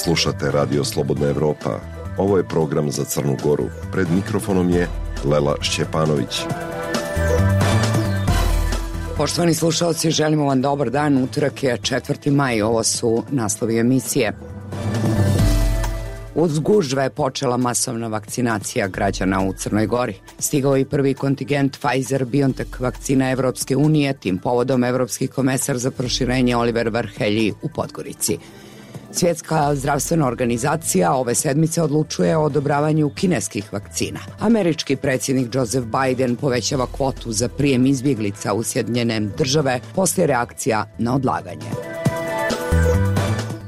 Slušate Radio Slobodna Evropa. Ovo je program za Crnu Goru. Pred mikrofonom je Lela Šćepanović. Poštovani slušalci, želimo vam dobar dan. Utorak je 4. maj. Ovo su naslovi emisije. Uz gužve je počela masovna vakcinacija građana u Crnoj Gori. Stigao je prvi kontingent Pfizer-BioNTech vakcina Evropske unije, tim povodom Evropski komesar za proširenje Oliver Varhelyi u Podgorici. Svjetska zdravstvena organizacija ove sedmice odlučuje o odobravanju kineskih vakcina. Američki predsjednik Joseph Biden povećava kvotu za prijem izbjeglica u Sjedinjene Države poslije reakcija na odlaganje.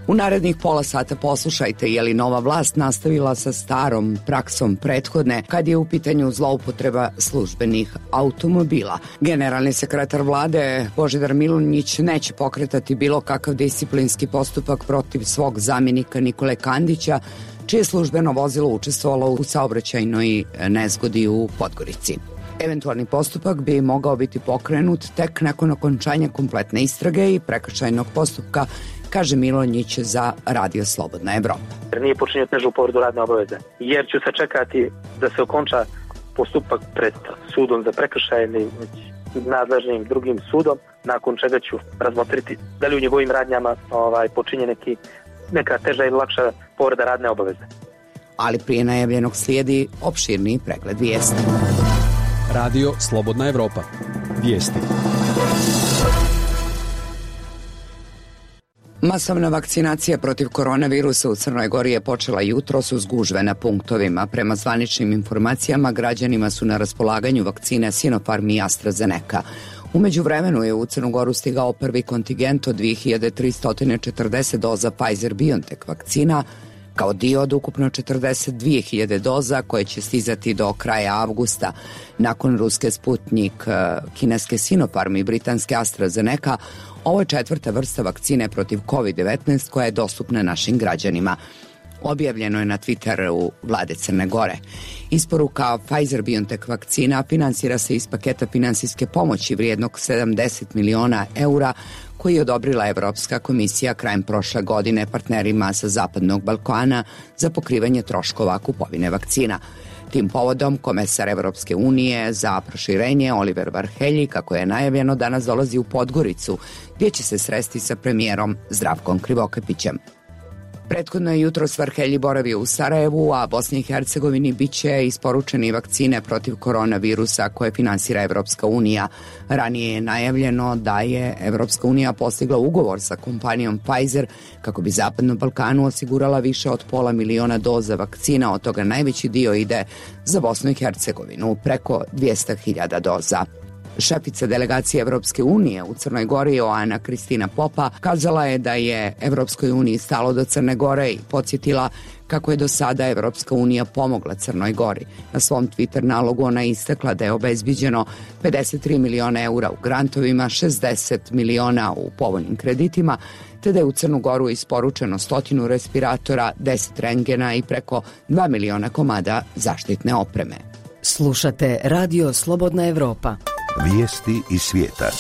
U narednih pola sata poslušajte je li nova vlast nastavila sa starom praksom prethodne kad je u pitanju zloupotreba službenih automobila. Generalni sekretar vlade Božidar Milunjić neće pokretati bilo kakav disciplinski postupak protiv svog zamjenika Nikole Kandića, čije službeno vozilo učestvovalo u saobraćajnoj nezgodi u Podgorici. Eventualni postupak bi mogao biti pokrenut tek nakon okončanja kompletne istrage i prekršajnog postupka, kaže Milonjić za Radio Slobodna Evropa. Nije počinio težu povredu radne obaveze, jer ću sačekati da se okonča postupak pred sudom za prekršajni nadležnim drugim sudom, nakon čega ću razmotriti da li u njegovim radnjama počinje neka teža ili lakša povreda radne obaveze. Ali prije najavljenog slijedi opširni pregled vijesti. Radio Slobodna Evropa. Vijesti. Masovna vakcinacija protiv koronavirusa u Crnoj Gori je počela jutros uz gužve na punktovima. Prema zvaničnim informacijama, građanima su na raspolaganju vakcine Sinopharm i AstraZeneca. U međuvremenu je u Crnu Goru stigao prvi kontingent od 2340 doza Pfizer-BioNTech vakcina, kao dio od ukupno 42.000 doza koje će stizati do kraja avgusta. Nakon ruske Sputnik, kineske Sinopharm i britanske AstraZeneca, ovo je četvrta vrsta vakcine protiv COVID-19 koja je dostupna našim građanima. Objavljeno je na Twitteru vlade Crne Gore. Isporuka Pfizer-BioNTech vakcina finansira se iz paketa finansijske pomoći vrijednog 70 miliona eura koji je odobrila Evropska komisija krajem prošle godine partnerima sa Zapadnog Balkana za pokrivanje troškova kupovine vakcina. Tim povodom komesar Evropske unije za proširenje Oliver Varhelyi, kako je najavljeno, danas dolazi u Podgoricu, gdje će se sresti sa premijerom Zdravkom Krivokapićem. Prethodno je jutros Varhelyi boravio u Sarajevu, a Bosni i Hercegovini biće isporučeni vakcine protiv koronavirusa koje finansira Evropska unija. Ranije je najavljeno da je Evropska unija postigla ugovor sa kompanijom Pfizer kako bi Zapadnom Balkanu osigurala više od 500.000 doza vakcina, od toga najveći dio ide za Bosnu i Hercegovinu, preko 200.000 doza. Šefica delegacije Evropske unije u Crnoj Gori, Joana Kristina Popa, kazala je da je Evropskoj uniji stalo do Crne Gore i podsjetila kako je do sada Evropska unija pomogla Crnoj Gori. Na svom Twitter nalogu ona je istakla da je obezbiđeno 53 miliona eura u grantovima, 60 miliona u povoljnim kreditima, te da je u Crnu Goru isporučeno 100 respiratora, 10 rentgena i preko 2 miliona komada zaštitne opreme. Slušate Radio Slobodna Evropa. Vijesti iz svijeta.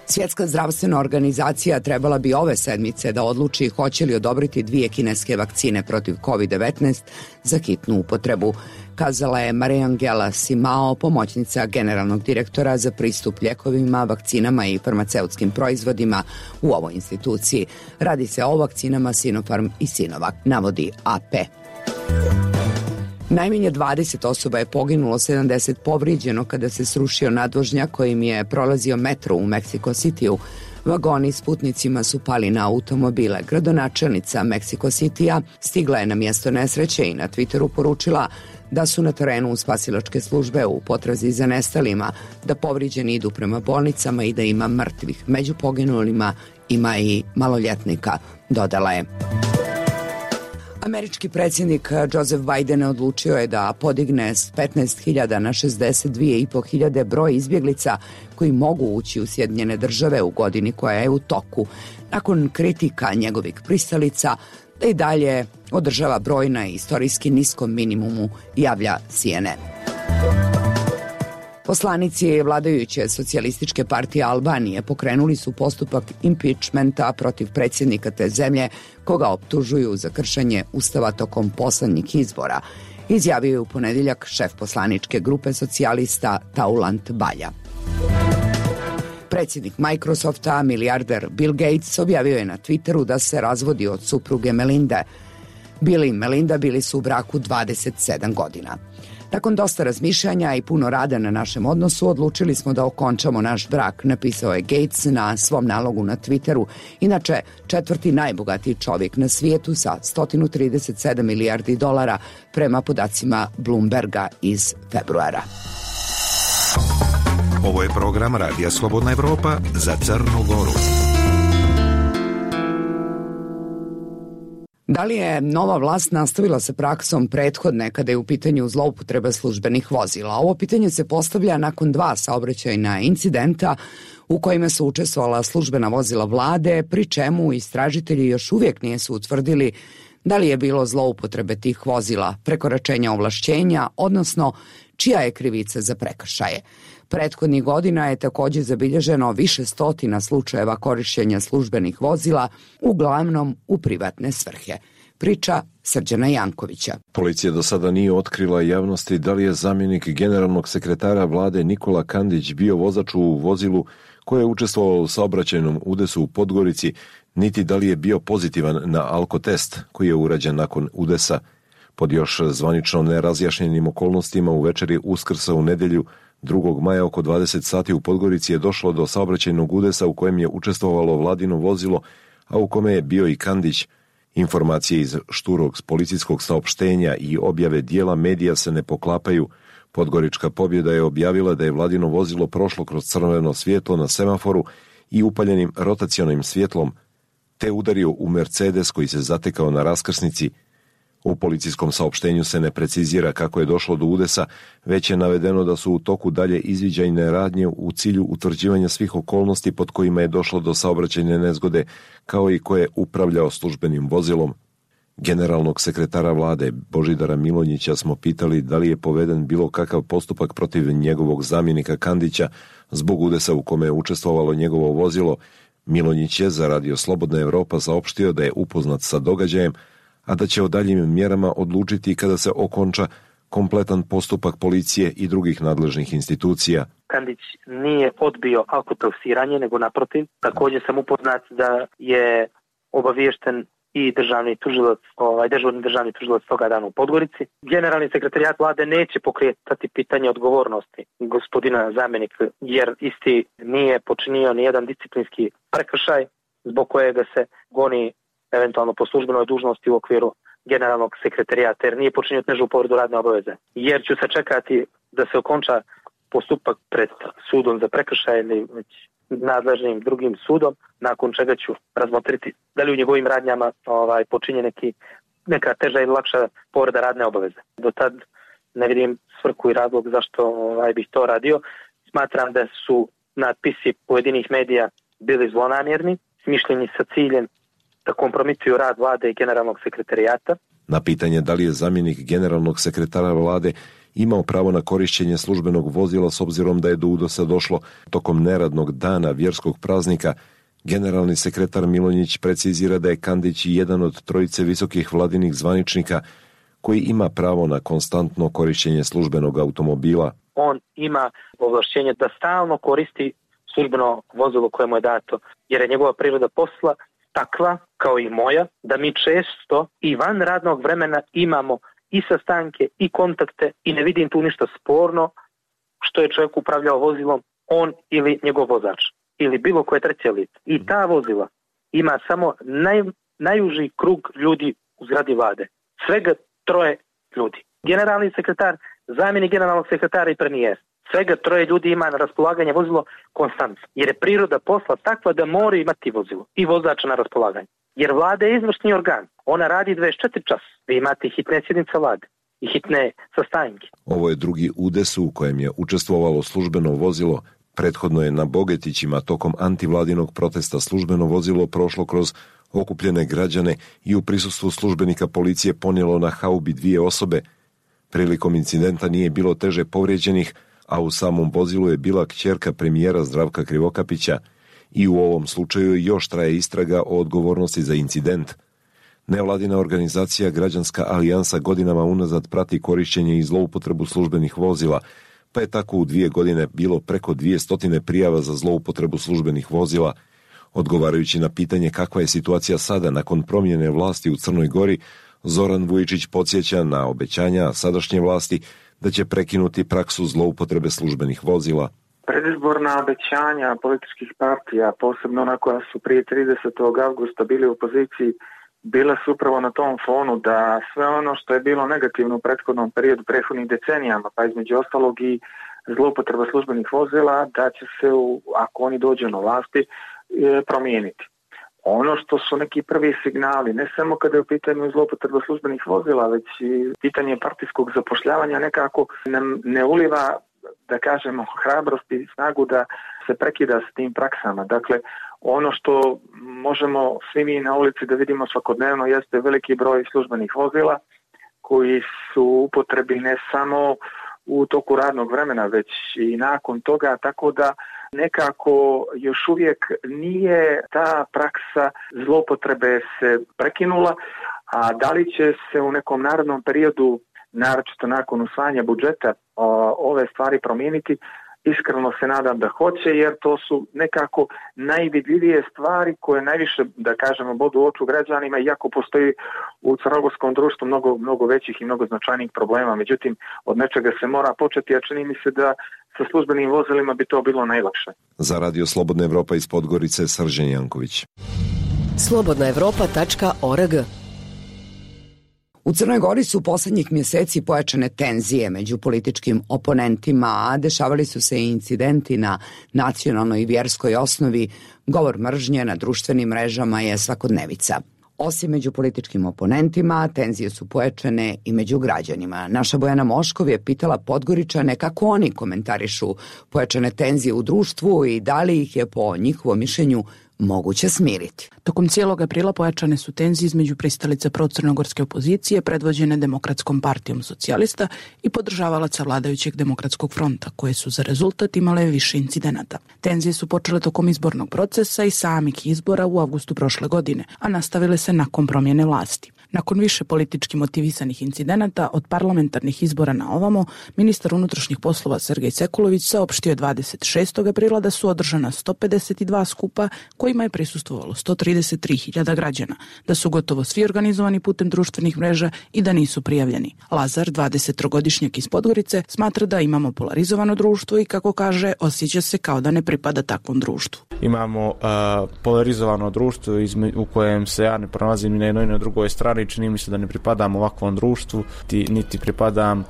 Svjetska zdravstvena organizacija trebala bi ove sedmice da odluči hoće li odobriti 2 kineske vakcine protiv COVID-19 za hitnu upotrebu, kazala je Mariangela Simao, pomoćnica generalnog direktora za pristup ljekovima, vakcinama i farmaceutskim proizvodima u ovoj instituciji. Radi se o vakcinama Sinopharm i Sinovac, navodi AP. Najmanje 20 osoba je poginulo, 70 povrijeđeno kada se srušio nadvožnjak kojim je prolazio metro u Mexico Cityu. Vagoni s putnicima su pali na automobile. Gradonačelnica Mexico Citya stigla je na mjesto nesreće i na Twitteru poručila da su na terenu spasilačke službe u potrazi za nestalima, da povrijeđeni idu prema bolnicama i da ima mrtvih. Među poginulima ima i maloljetnika, dodala je. Američki predsjednik Joseph Biden odlučio je da podigne s 15.000 na 62.500 broj izbjeglica koji mogu ući u Sjedinjene Države u godini koja je u toku. Nakon kritika njegovih pristalica da i dalje održava broj na istorijski niskom minimumu, javlja CNN. Poslanici vladajuće socijalističke partije Albanije pokrenuli su postupak impeachmenta protiv predsjednika te zemlje, koga optužuju za kršenje ustava tokom poslednjih izbora, izjavio je u ponedjeljak šef poslaničke grupe socijalista Taulant Balja. Predsjednik Microsofta, milijarder Bill Gates, objavio je na Twitteru da se razvodi od supruge Melinde. Bill i Melinda bili su u braku 27 godina. Nakon dosta razmišljanja i puno rada na našem odnosu, odlučili smo da okončamo naš brak, napisao je Gates na svom nalogu na Twitteru, inače četvrti najbogatiji čovjek na svijetu sa 137 milijardi dolara prema podacima Bloomberga iz februara. Ovo je program Radija Slobodna Evropa za Crnu Goru. Da li je nova vlast nastavila sa praksom prethodne kada je u pitanju zloupotreba službenih vozila? Ovo pitanje se postavlja nakon 2 saobraćajna incidenta u kojima su učestvovala službena vozila vlade, pri čemu istražitelji još uvijek nisu utvrdili da li je bilo zloupotrebe tih vozila, prekoračenja ovlašćenja, odnosno čija je krivica za prekršaje. Prethodnih godina je također zabilježeno više stotina slučajeva korištenja službenih vozila, uglavnom u privatne svrhe. Priča Srđana Jankovića. Policija do sada nije otkrila javnosti da li je zamjenik generalnog sekretara vlade Nikola Kandić bio vozač u vozilu koje je učestvovalo u saobraćajnom udesu u Podgorici, niti da li je bio pozitivan na alkotest koji je urađen nakon udesa. Pod još zvanično nerazjašnjenim okolnostima u večeri Uskrsa u nedjelju 2. maja oko 20 sati u Podgorici je došlo do saobraćajnog udesa u kojem je učestvovalo vladino vozilo, a u kome je bio i Kandić. Informacije iz šturog policijskog saopštenja i objave dijela medija se ne poklapaju. Podgorička pobjeda je objavila da je vladino vozilo prošlo kroz crveno svjetlo na semaforu i upaljenim rotacionim svjetlom, te udario u Mercedes koji se zatekao na raskrsnici. U policijskom saopštenju se ne precizira kako je došlo do udesa, već je navedeno da su u toku dalje izviđajne radnje u cilju utvrđivanja svih okolnosti pod kojima je došlo do saobraćajne nezgode, kao i ko je upravljao službenim vozilom. Generalnog sekretara vlade Božidara Milonjića smo pitali da li je poveden bilo kakav postupak protiv njegovog zamjenika Kandića zbog udesa u kome je učestvovalo njegovo vozilo. Milonjić je za Radio Slobodna Evropa saopštio da je upoznat sa događajem, a da će o daljim mjerama odlučiti kada se okonča kompletan postupak policije i drugih nadležnih institucija. Kandić nije odbio alkotestiranje, nego naprotiv. Također sam upoznat da je obaviješten i dežurni državni tužilac toga dana u Podgorici. Generalni sekretarijat vlade neće pokretati pitanje odgovornosti gospodina zamjenika, jer isti nije počinio nijedan disciplinski prekršaj zbog kojega se goni eventualno po službenoj dužnosti u okviru generalnog sekretarijata, jer nije počinio težu povredu radne obaveze. Jer ću se čekati da se okonča postupak pred sudom za prekršaj ili nadležnim drugim sudom, nakon čega ću razmotriti da li u njegovim radnjama počinje neka teža ili lakša povreda radne obaveze. Do tad ne vidim svrhu i razlog zašto bih to radio. Smatram da su natpisi pojedinih medija bili zlonamjerni, smišljeni sa ciljem da kompromituju rad vlade i generalnog sekretarijata. Na pitanje da li je zamjenik generalnog sekretara vlade imao pravo na korištenje službenog vozila s obzirom da je do udesa došlo tokom neradnog dana vjerskog praznika, generalni sekretar Milonjić precizira da je Kandić jedan od trojice visokih vladinih zvaničnika koji ima pravo na konstantno korištenje službenog automobila. On ima ovlašćenje da stalno koristi službeno vozilo koje mu je dato, jer je njegova priroda posla takva, kao i moja, da mi često i van radnog vremena imamo i sastanke i kontakte i ne vidim tu ništa sporno što je čovjek upravljao vozilom, on ili njegov vozač ili bilo koje treće lice. I ta vozila ima samo najuži krug ljudi u zgradi vlade. Svega 3 ljudi. Generalni sekretar, zamjenik generalnog sekretara i premijer. Svega 3 ljudi ima na raspolaganje vozilo konstantno. Jer je priroda posla takva da mora imati vozilo i vozača na raspolaganje. Jer vlada je izvršni organ. Ona radi 24 časa. Vi imate hitne sjednice vlade i hitne sastanke. Ovo je drugi udes u kojem je učestvovalo službeno vozilo. Prethodno je na Bogetićima tokom antivladinog protesta službeno vozilo prošlo kroz okupljene građane i u prisustvu službenika policije ponijelo na haubi 2 osobe. Prilikom incidenta nije bilo teže povrijeđenih, a u samom vozilu je bila kćerka premijera Zdravka Krivokapića i u ovom slučaju još traje istraga o odgovornosti za incident. Nevladina organizacija Građanska alijansa godinama unazad prati korišćenje i zloupotrebu službenih vozila, pa je tako u 2 godine bilo preko 200 prijava za zloupotrebu službenih vozila. Odgovarajući na pitanje kakva je situacija sada nakon promjene vlasti u Crnoj Gori, Zoran Vujičić podsjeća na obećanja sadašnje vlasti da će prekinuti praksu zloupotrebe službenih vozila. Predizborna obećanja političkih partija, posebno ona koja su prije 30. avgusta bili u opoziciji, bila su upravo na tom fonu da sve ono što je bilo negativno u prethodnom periodu, prethodnih decenijama, pa između ostalog i zloupotreba službenih vozila, da će se, ako oni dođu na vlasti, promijeniti. Ono što su neki prvi signali, ne samo kada je u pitanju zloupotreba službenih vozila, već i pitanje partijskog zapošljavanja nekako nam ne uliva, da kažemo, hrabrost i snagu da se prekida s tim praksama. Dakle, ono što možemo svi mi na ulici da vidimo svakodnevno jeste veliki broj službenih vozila koji su u upotrebi ne samo u toku radnog vremena, već i nakon toga, tako da nekako još uvijek nije ta praksa zloupotrebe se prekinula, a da li će se u nekom narednom periodu, naročito nakon usvajanja budžeta, ove stvari promijeniti, iskreno se nadam da hoće, jer to su nekako najvidljivije stvari koje najviše, da kažemo, bodu u oču građanima, iako postoji u crnogorskom društvu mnogo većih i mnogo značajnijih problema. Međutim, od nečega se mora početi, a čini mi se da sa službenim vozilima bi to bilo najlakše. Za Radio Slobodna Evropa iz Podgorice, Srđan Janković. slobodnaevropa.org. U Crnoj Gori su posljednjih mjeseci pojačane tenzije među političkim oponentima, a dešavali su se i incidenti na nacionalnoj i vjerskoj osnovi. Govor mržnje na društvenim mrežama je svakodnevica. Osim među političkim oponentima, tenzije su pojačane i među građanima. Naša Bojana Moškov je pitala Podgoričane kako oni komentarišu pojačane tenzije u društvu i da li ih je po njihovom mišljenju moguće smiriti. Tokom cijelog aprila pojačane su tenzije između pristalica procrnogorske opozicije predvođene Demokratskom partijom socijalista i podržavalaca vladajućeg Demokratskog fronta, koje su za rezultat imale više incidenata. Tenzije su počele tokom izbornog procesa i samih izbora u avgustu prošle godine, a nastavile se nakon promjene vlasti. Nakon više politički motivisanih incidenata od parlamentarnih izbora na ovamo, ministar unutrašnjih poslova Sergej Sekulović saopštio je 26. aprila da su održana 152 skupa kojima je prisustvovalo 133.000 građana, da su gotovo svi organizovani putem društvenih mreža i da nisu prijavljeni. Lazar, 23-godišnjak iz Podgorice, smatra da imamo polarizovano društvo i, kako kaže, osjeća se kao da ne pripada takvom društvu. Imamo polarizovano društvo u kojem se ja ne pronalazim ni na jednoj ni na drugoj strani. Čini mi se da ne pripadam ovakvom društvu, niti pripadam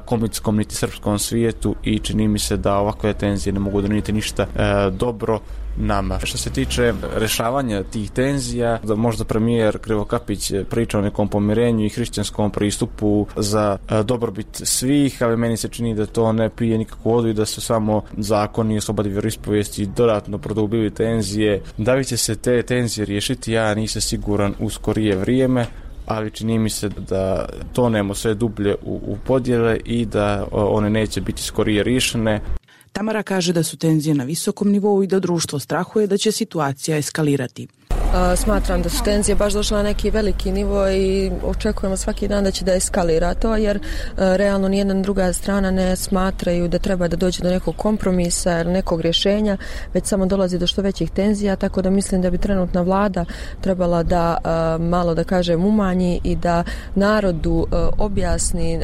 komitskom niti srpskom svijetu i čini mi se da ovakve tenzije ne mogu donijeti ništa dobro nama. Što se tiče rješavanja tih tenzija, da možda premijer Krivokapić priča o nekom pomirenju i hrišćanskom pristupu za dobrobit svih, ali meni se čini da to ne pije nikakvu vodu i da su samo zakoni o slobodi vjeroispovijesti dodatno produbili tenzije. Da li će se te tenzije riješiti, ja nisam siguran u skorije vrijeme, ali čini mi se da tonemo sve dublje u podjele i da one neće biti skorije riješene. Tamara kaže da su tenzije na visokom nivou i da društvo strahuje da će situacija eskalirati. Smatram da su tenzije baš došle na neki veliki nivo i očekujemo svaki dan da će da eskalira to, jer realno nijedna druga strana ne smatraju da treba da dođe do nekog kompromisa ili nekog rješenja, već samo dolazi do što većih tenzija, tako da mislim da bi trenutna vlada trebala da malo, da kažem, umanji i da narodu objasni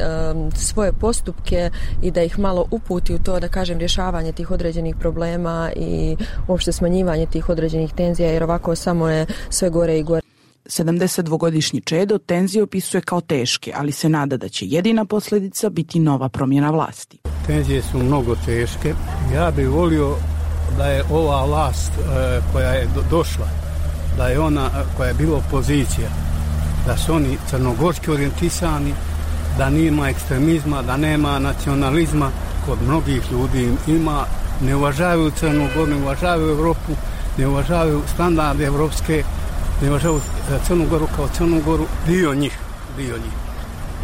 svoje postupke i da ih malo uputi u to, da kažem, rješavanje tih određenih problema i uopšte smanjivanje tih određenih tenzija, jer ovako samo je sve gore i gore. 72-godišnji Čedo tenzije opisuje kao teške, ali se nada da će jedina posljedica biti nova promjena vlasti. Tenzije su mnogo teške. Ja bih volio da je ova vlast koja je došla, da je ona koja je bila opozicija, da su oni crnogorski orijentisani, da nema ekstremizma, da nema nacionalizma kod mnogih ljudi. Ima, ne uvažavaju Crnu Goru, ne uvažavaju Evropu, ne uvažavaju standarde evropske, ne uvažavaju Crnu Goru kao Crnu Goru, dio njih.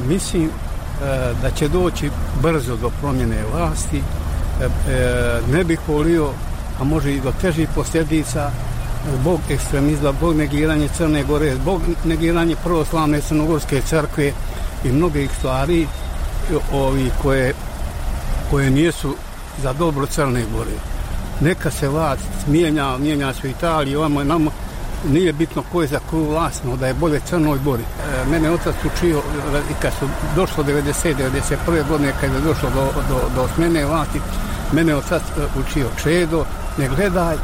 Mislim da će doći brzo do promjene vlasti ne bih volio, a može i do težih posljedica, zbog ekstremizma, zbog negiranja Crne Gore, zbog negiranja pravoslavne crnogorske crkve i mnogih stvari koje nisu za dobro Crne Gore. Neka se vlast mijenja se u Italiji, ovamo nama nije bitno ko je za koju vlast, no da je bolje Crnoj Gori. Mene otac učio, kad su došlo 91. godine, kad je došlo do smjene vlasti, mene otac učio: Čedo, ne gledaj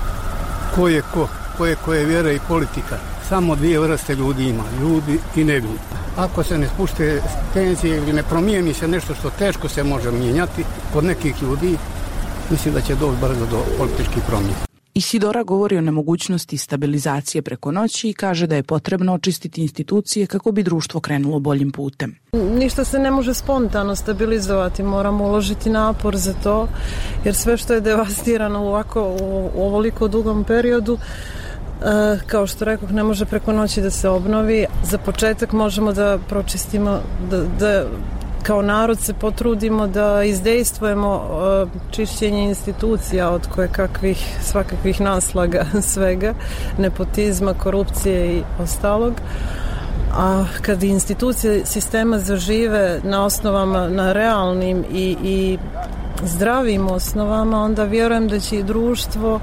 ko je koje vjere i politika. Samo dvije vrste ljudi ima, ljudi i neljudi. Ako se ne spušte tenzije ili ne promijeni se nešto što teško se može mijenjati kod nekih ljudi, mislim da će doći brzo do političkih promjena. Isidora govori o nemogućnosti stabilizacije preko noći i kaže da je potrebno očistiti institucije kako bi društvo krenulo boljim putem. Ništa se ne može spontano stabilizovati, moramo uložiti napor za to, jer sve što je devastirano u ovoliko dugom periodu, kao što rekoh, ne može preko noći da se obnovi. Za početak možemo da pročistimo, da kao narod se potrudimo da izdejstvujemo čišćenje institucija od svakakvih naslaga svega, nepotizma, korupcije i ostalog. A kad institucije sistema zažive na osnovama, na realnim i zdravim osnovama, onda vjerujem da će i društvo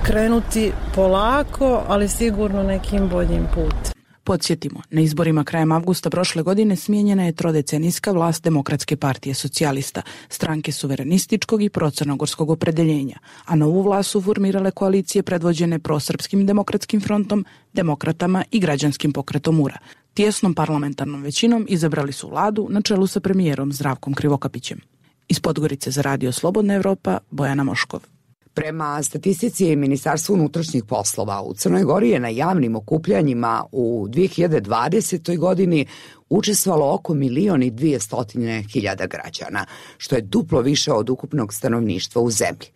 krenuti polako, ali sigurno nekim boljim putem. Podsjetimo, na izborima krajem avgusta prošle godine smijenjena je trodecenijska vlast Demokratske partije socijalista, stranke suverenističkog i procrnogorskog opredeljenja, a novu vlast su formirale koalicije predvođene prosrpskim demokratskim frontom, demokratama i građanskim pokretom URA. Tijesnom parlamentarnom većinom izabrali su vladu na čelu sa premijerom Zdravkom Krivokapićem. Iz Podgorice za Radio Slobodna Evropa, Bojana Moškov. Prema statistici Ministarstva unutrašnjih poslova, u Crnoj Gori je na javnim okupljanjima u 2020. godini učestvovalo oko 1.200.000 građana, što je duplo više od ukupnog stanovništva u zemlji.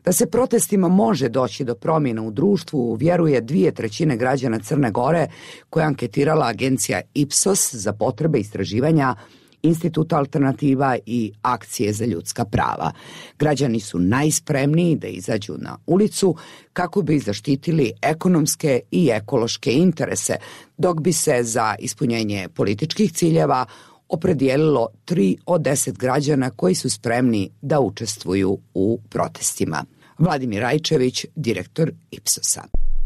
Da se protestima može doći do promjena u društvu, vjeruje 2/3 građana Crne Gore, koja je anketirala agencija Ipsos za potrebe istraživanja Instituta Alternativa i Akcije za ljudska prava. Građani su najspremniji da izađu na ulicu kako bi zaštitili ekonomske i ekološke interese, dok bi se za ispunjenje političkih ciljeva opredijelilo 3 od 10 građana koji su spremni da učestvuju u protestima. Vladimir Rajčević, direktor Ipsosa.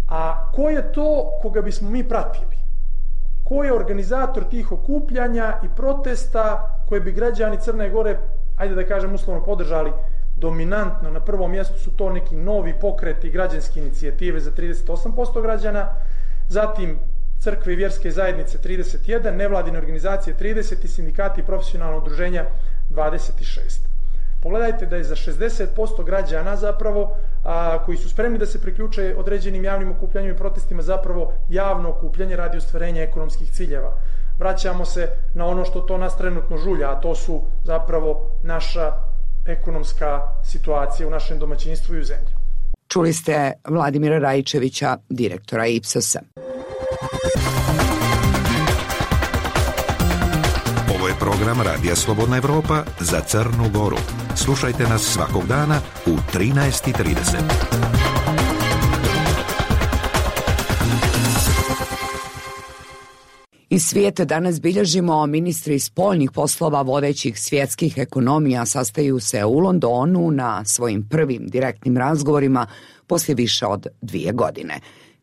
A ko je to koga bismo mi pratili? Ko je organizator tih okupljanja i protesta koje bi građani Crne Gore, ajde da kažem uslovno, podržali? Dominantno na prvom mjestu su to neki novi pokreti i građanske inicijative za 38% građana, zatim crkve i vjerske zajednice 31%, nevladine organizacije 30% i sindikati i profesionalna udruženja 26%. Pogledajte da je za 60% građana zapravo koji su spremni da se priključe određenim javnim okupljanjima i protestima zapravo javno okupljanje radi ostvarenja ekonomskih ciljeva. Vraćamo se na ono što to nas trenutno žulja, a to su zapravo naša ekonomska situacija u našem domaćinstvu i u zemlji. Čuli ste Vladimira Rajčevića, direktora Ipsosa. Ovo je program Radija Slobodna Evropa za Crnu Goru. Slušajte nas svakog dana u 13:30. Iz svijeta danas bilježimo ministri spoljnih poslova vodećih svjetskih ekonomija sastaju se u Londonu na svojim prvim direktnim razgovorima poslije više od 2 godine.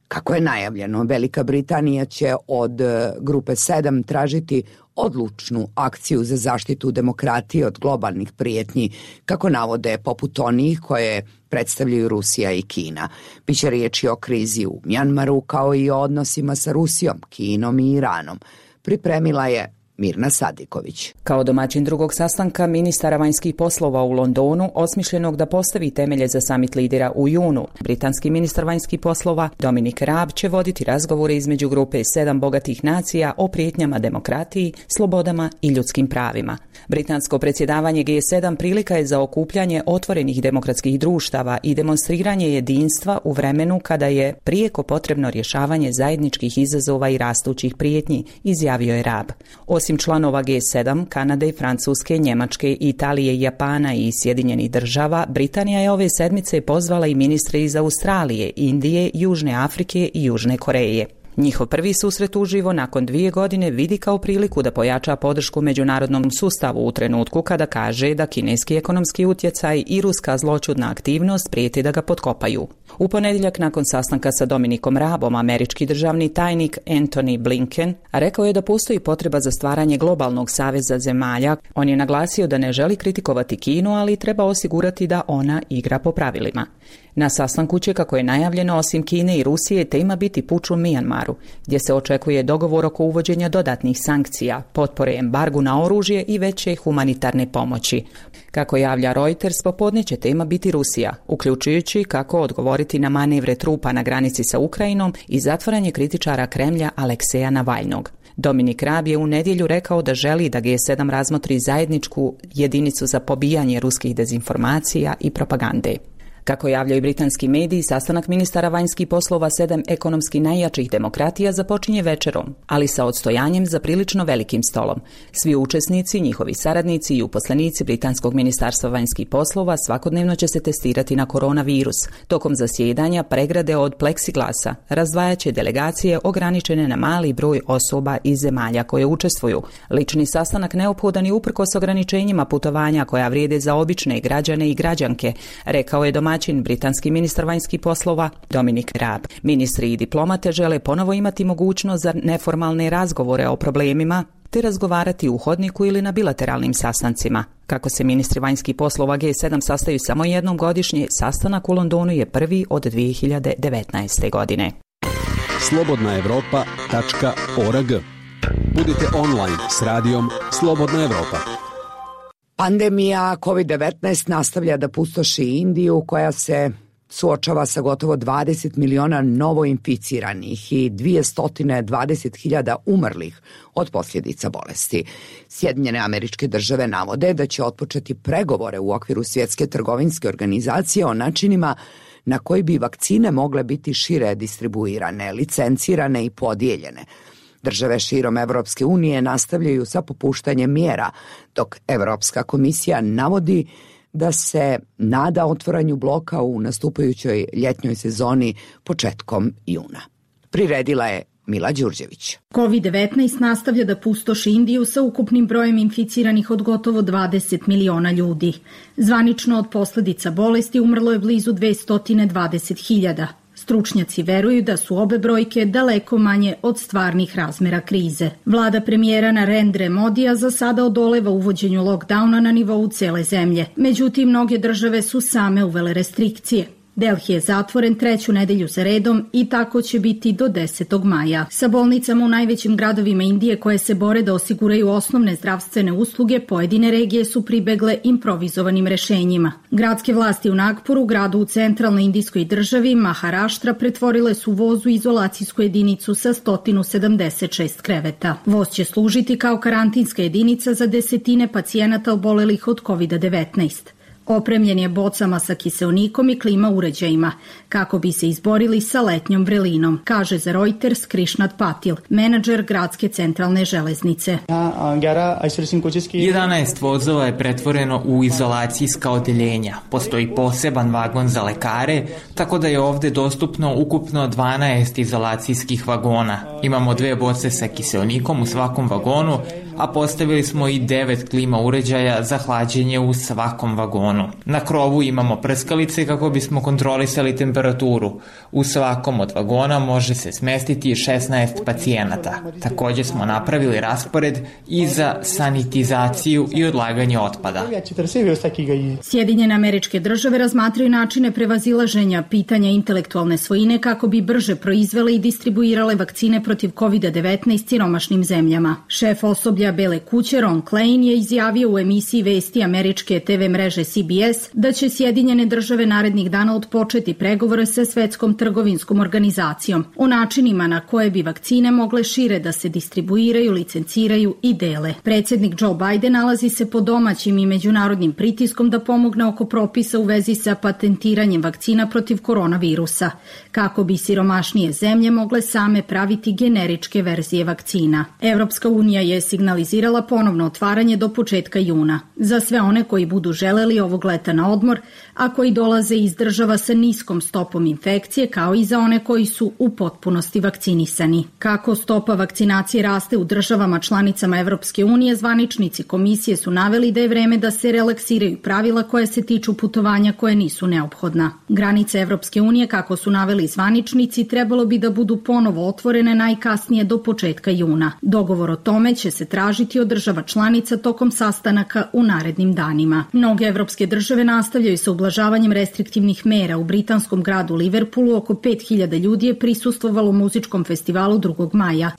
Kako je najavljeno, Velika Britanija će od grupe 7 tražiti odlučnu akciju za zaštitu demokratije od globalnih prijetnji, kako navode, poput onih koje predstavljaju Rusija i Kina. Biće riječi o krizi u Mjanmaru, kao i o odnosima sa Rusijom, Kinom i Iranom. Pripremila je Mirna Sadiković. Kao domaćin drugog sastanka ministara vanjskih poslova u Londonu, osmišljenog da postavi temelje za samit lidera u junu, britanski ministar vanjskih poslova Dominic Raab će voditi razgovore između grupe 7 bogatih nacija o prijetnjama demokratiji, slobodama i ljudskim pravima. Britansko predsjedavanje G7 prilika je za okupljanje otvorenih demokratskih društava i demonstriranje jedinstva u vremenu kada je prijeko potrebno rješavanje zajedničkih izazova i rastućih prijetnji, izjavio je Raab. Osim osim članova G7, Kanade, Francuske, Njemačke, Italije, Japana i Sjedinjenih država, Britanija je ove sedmice pozvala i ministre iz Australije, Indije, Južne Afrike i Južne Koreje. Njihov prvi susret uživo nakon 2 godine vidi kao priliku da pojača podršku međunarodnom sustavu u trenutku kada kaže da kineski ekonomski utjecaj i ruska zloćudna aktivnost prijeti da ga potkopaju. U ponedjeljak nakon sastanka sa Dominikom Raabom, američki državni tajnik Antony Blinken rekao je da postoji potreba za stvaranje globalnog saveza zemalja. On je naglasio da ne želi kritikovati Kinu, ali treba osigurati da ona igra po pravilima. Na sastanku će, kako je najavljeno, osim Kine i Rusije, tema biti puč u Mijanmaru, gdje se očekuje dogovor oko uvođenja dodatnih sankcija, potpore embargu na oružje i veće humanitarne pomoći. Kako javlja Reuters, popodne će tema biti Rusija, uključujući kako odgovoriti na manevre trupa na granici sa Ukrajinom i zatvaranje kritičara Kremlja Alekseja Navalnog. Dominik Raab je u nedjelju rekao da želi da G7 razmotri zajedničku jedinicu za pobijanje ruskih dezinformacija i propagande. Kako javljaju britanski mediji, sastanak ministara vanjskih poslova 7 ekonomski najjačih demokratija započinje večerom, ali sa odstojanjem za prilično velikim stolom. Svi učesnici, njihovi saradnici i uposlenici Britanskog ministarstva vanjskih poslova svakodnevno će se testirati na koronavirus. Tokom zasjedanja pregrade od pleksiglasa razdvajaće delegacije ograničene na mali broj osoba iz zemalja koje učestvuju. Lični sastanak neophodan je uprkos ograničenjima putovanja koja vrijede za obične građane i građanke, rekao je domaćin britanski ministar vanjskih poslova Dominic Raab. Ministri i diplomate žele ponovo imati mogućnost za neformalne razgovore o problemima te razgovarati u hodniku ili na bilateralnim sastancima. Kako se ministri vanjskih poslova G7 sastaju samo jednom godišnje, sastanak u Londonu je prvi od 2019. godine. slobodnaevropa.org. Budite online s radijom Slobodna Evropa. Pandemija COVID-19 nastavlja da pustoši Indiju, koja se suočava sa gotovo 20 miliona novoinficiranih i 220.000 umrlih od posljedica bolesti. Sjedinjene Američke Države navode da će otpočeti pregovore u okviru Svjetske trgovinske organizacije o načinima na koji bi vakcine mogle biti šire distribuirane, licencirane i podijeljene. Države širom Evropske unije nastavljaju sa popuštanjem mjera, dok Evropska komisija navodi da se nada otvaranju bloka u nastupajućoj ljetnjoj sezoni početkom juna. Priredila je Mila Đurđević. COVID-19 nastavlja da pustoši Indiju sa ukupnim brojem inficiranih od gotovo 20 miliona ljudi. Zvanično od posljedica bolesti umrlo je blizu 220.000. Stručnjaci veruju da su obe brojke daleko manje od stvarnih razmjera krize. Vlada premijera Narendre Modija za sada odoleva uvođenju lockdowna na nivou cele zemlje. Međutim, mnoge države su same uvele restrikcije. Delhi je zatvoren 3. nedelju za redom i tako će biti do 10. maja. Sa bolnicama u najvećim gradovima Indije koje se bore da osiguraju osnovne zdravstvene usluge, pojedine regije su pribegle improvizovanim rešenjima. Gradske vlasti u Nagpuru, gradu u centralnoj indijskoj državi, Maharaštra, pretvorile su voz u izolacijsku jedinicu sa 176 kreveta. Voz će služiti kao karantinska jedinica za desetine pacijenata obolelih od COVID-19. Opremljen je bocama sa kiseonikom i klima uređajima, kako bi se izborili sa letnjom vrelinom, kaže za Reuters Krishnat Patil, menadžer gradske centralne železnice. 11 vozova je pretvoreno u izolacijska odeljenja. Postoji poseban vagon za lekare, tako da je ovdje dostupno ukupno 12 izolacijskih vagona. Imamo 2 boce sa kiseonikom u svakom vagonu, a postavili smo i 9 klima uređaja za hlađenje u svakom vagonu. Na krovu imamo prskalice kako bismo kontrolisali temperaturu. U svakom od vagona može se smestiti 16 pacijenata. Također smo napravili raspored i za sanitizaciju i odlaganje otpada. Sjedinjene Američke Države razmatraju načine prevazilaženja pitanja intelektualne svojine kako bi brže proizvele i distribuirale vakcine protiv COVID-19 siromašnim zemljama. Šef osoblja Bele kuće Ron Klain je izjavio u emisiji vesti američke TV mreže CBS da će Sjedinjene Države narednih dana odpočeti pregovore sa Svetskom trgovinskom organizacijom o načinima na koje bi vakcine mogle šire da se distribuiraju, licenciraju i dele. Predsjednik Joe Biden nalazi se pod domaćim i međunarodnim pritiskom da pomogne oko propisa u vezi sa patentiranjem vakcina protiv koronavirusa, kako bi siromašnije zemlje mogle same praviti generičke verzije vakcina. Evropska unija je signalizirala signalizirala ponovno otvaranje do početka juna. Za sve one koji budu želeli ovog leta na odmor, a koji dolaze iz država sa niskom stopom infekcije, kao i za one koji su u potpunosti vakcinisani. Kako stopa vakcinacije raste u državama članicama Evropske unije, zvaničnici komisije su naveli da je vreme da se relaksiraju pravila koje se tiču putovanja koje nisu neophodna. Granice Evropske unije, kako su naveli zvaničnici, trebalo bi da budu ponovo otvorene najkasnije do početka juna. Dogovor o tome će se tražiti od država članica tokom sastanaka u narednim danima. Mnoge evropske države nastavljaju sa ublažavanjem restriktivnih mera. U britanskom gradu Liverpoolu oko 5000 ljudi je prisustvovalo muzičkom festivalu 2. maja.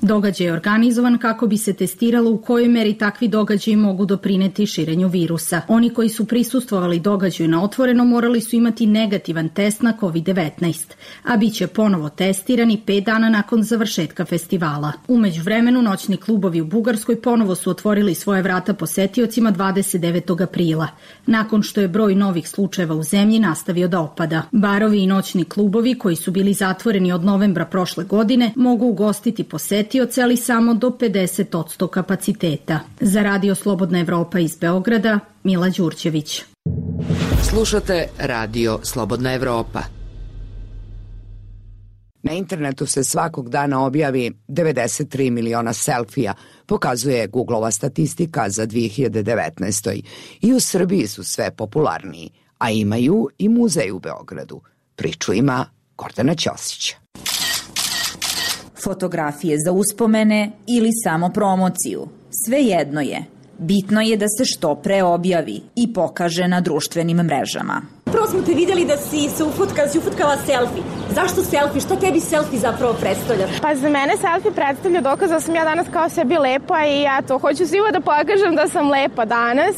Događaj je organizovan kako bi se testiralo u kojoj meri takvi događaji mogu doprineti širenju virusa. Oni koji su prisustvovali događaju na otvoreno morali su imati negativan test na COVID-19, a bit će ponovo testirani 5 dana nakon završetka festivala. U međuvremenu noćni klubovi u Bugarskoj ponovo su otvorili svoje vrata posetiocima 29. aprila, nakon što je broj novih slučajeva u zemlji nastavio da opada. Barovi i noćni klubovi koji su bili zatvoreni od novembra prošle godine mogu ugostiti posetioce, ali samo do 50% kapaciteta. Za Radio Slobodna Evropa iz Beograda, Mila Đurđević. Slušate Radio Slobodna Evropa. Na internetu se svakog dana objavi 93 miliona selfija, pokazuje Googleova statistika za 2019. I u Srbiji su sve popularniji, a imaju i muzej u Beogradu. Priču ima Gordana Ćosić. Fotografije za uspomene ili samo promociju. Svejedno je. Bitno je da se što pre objavi i pokaže na društvenim mrežama. Prvo smo te videli da si se ufutkala selfie. Zašto selfie? Šta tebi selfie zapravo predstavlja? Pa za mene selfie predstavlja dokaz da sam ja danas kao sebi lepa i ja to hoću svima da pokažem da sam lepa danas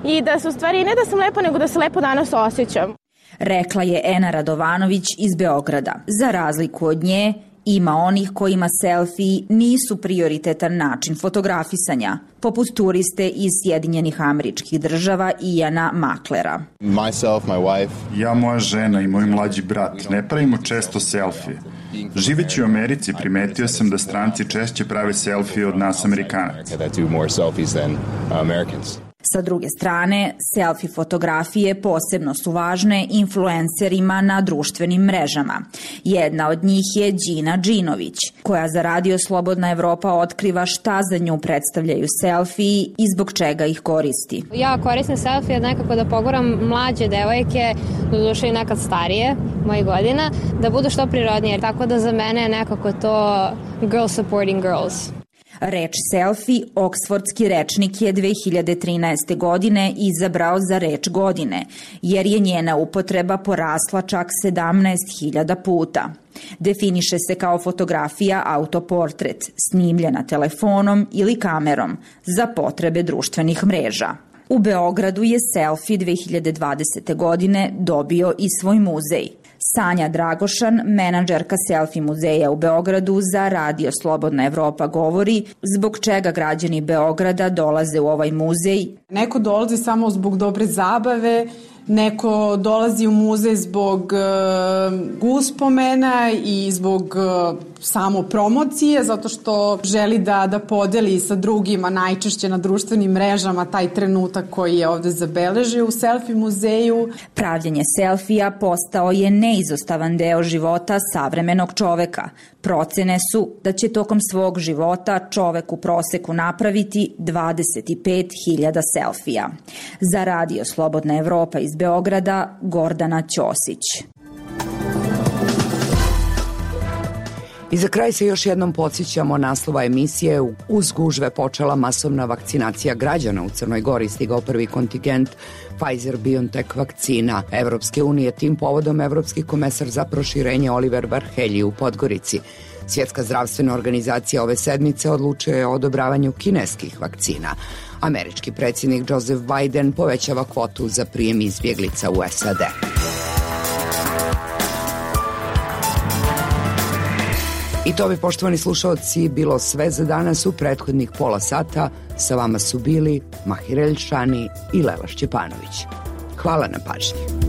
i da se u stvari ne da sam lepa, nego da se lepo danas osjećam. Rekla je Ena Radovanović iz Beograda. Za razliku od nje, ima onih kojima selfiji nisu prioritetan način fotografisanja, poput turiste iz Sjedinjenih Američkih Država Iana Maklera. Myself, my wife. Ja, moja žena i moj mlađi brat ne pravimo često selfije. Živeći u Americi primetio sam da stranci češće prave selfije od nas Amerikanaca. Sa druge strane, selfie fotografije posebno su važne influencerima na društvenim mrežama. Jedna od njih je Đina Đinović, koja za Radio Slobodna Evropa otkriva šta za nju predstavljaju selfiji i zbog čega ih koristi. Ja koristim selfije nekako da poguram mlađe devojke, doduše i nekad starije, mojih godina, da budu što prirodnije, tako da za mene je nekako to girl supporting girls. Reč selfie Oksfordski rečnik je 2013. godine izabrao za reč godine, jer je njena upotreba porasla čak 17.000 puta. Definiše se kao fotografija autoportret, snimljena telefonom ili kamerom za potrebe društvenih mreža. U Beogradu je selfie 2020. godine dobio i svoj muzej. Sanja Dragošan, menadžerka selfie muzeja u Beogradu za Radio Slobodna Evropa govori zbog čega građani Beograda dolaze u ovaj muzej. Neko dolazi samo zbog dobre zabave, neko dolazi u muzej zbog uspomena i zbog samo promocije, zato što želi da podeli sa drugima, najčešće na društvenim mrežama, taj trenutak koji je ovde zabeležio u selfie muzeju. Pravljenje selfija postao je neizostavan deo života savremenog čoveka. Procene su da će tokom svog života čovek u proseku napraviti 25.000 selfija. Za Radio Slobodna Evropa iz Beograda, Gordana Ćosić. I za kraj se još jednom podsjećamo naslova emisije. Uz gužve počela masovna vakcinacija građana u Crnoj Gori, stigao prvi kontingent Pfizer-BioNTech vakcina Evropske unije. Tim povodom evropski komesar za proširenje Oliver Varhelyi u Podgorici. Svjetska zdravstvena organizacija ove sedmice odlučuje o odobravanju kineskih vakcina. Američki predsjednik Joseph Biden povećava kvotu za prijem izbjeglica u SAD. I to bi, poštovani slušalci, bilo sve za danas. U prethodnih pola sata sa vama su bili Mahir Elšani i Lela Šćepanović. Hvala na pažnji.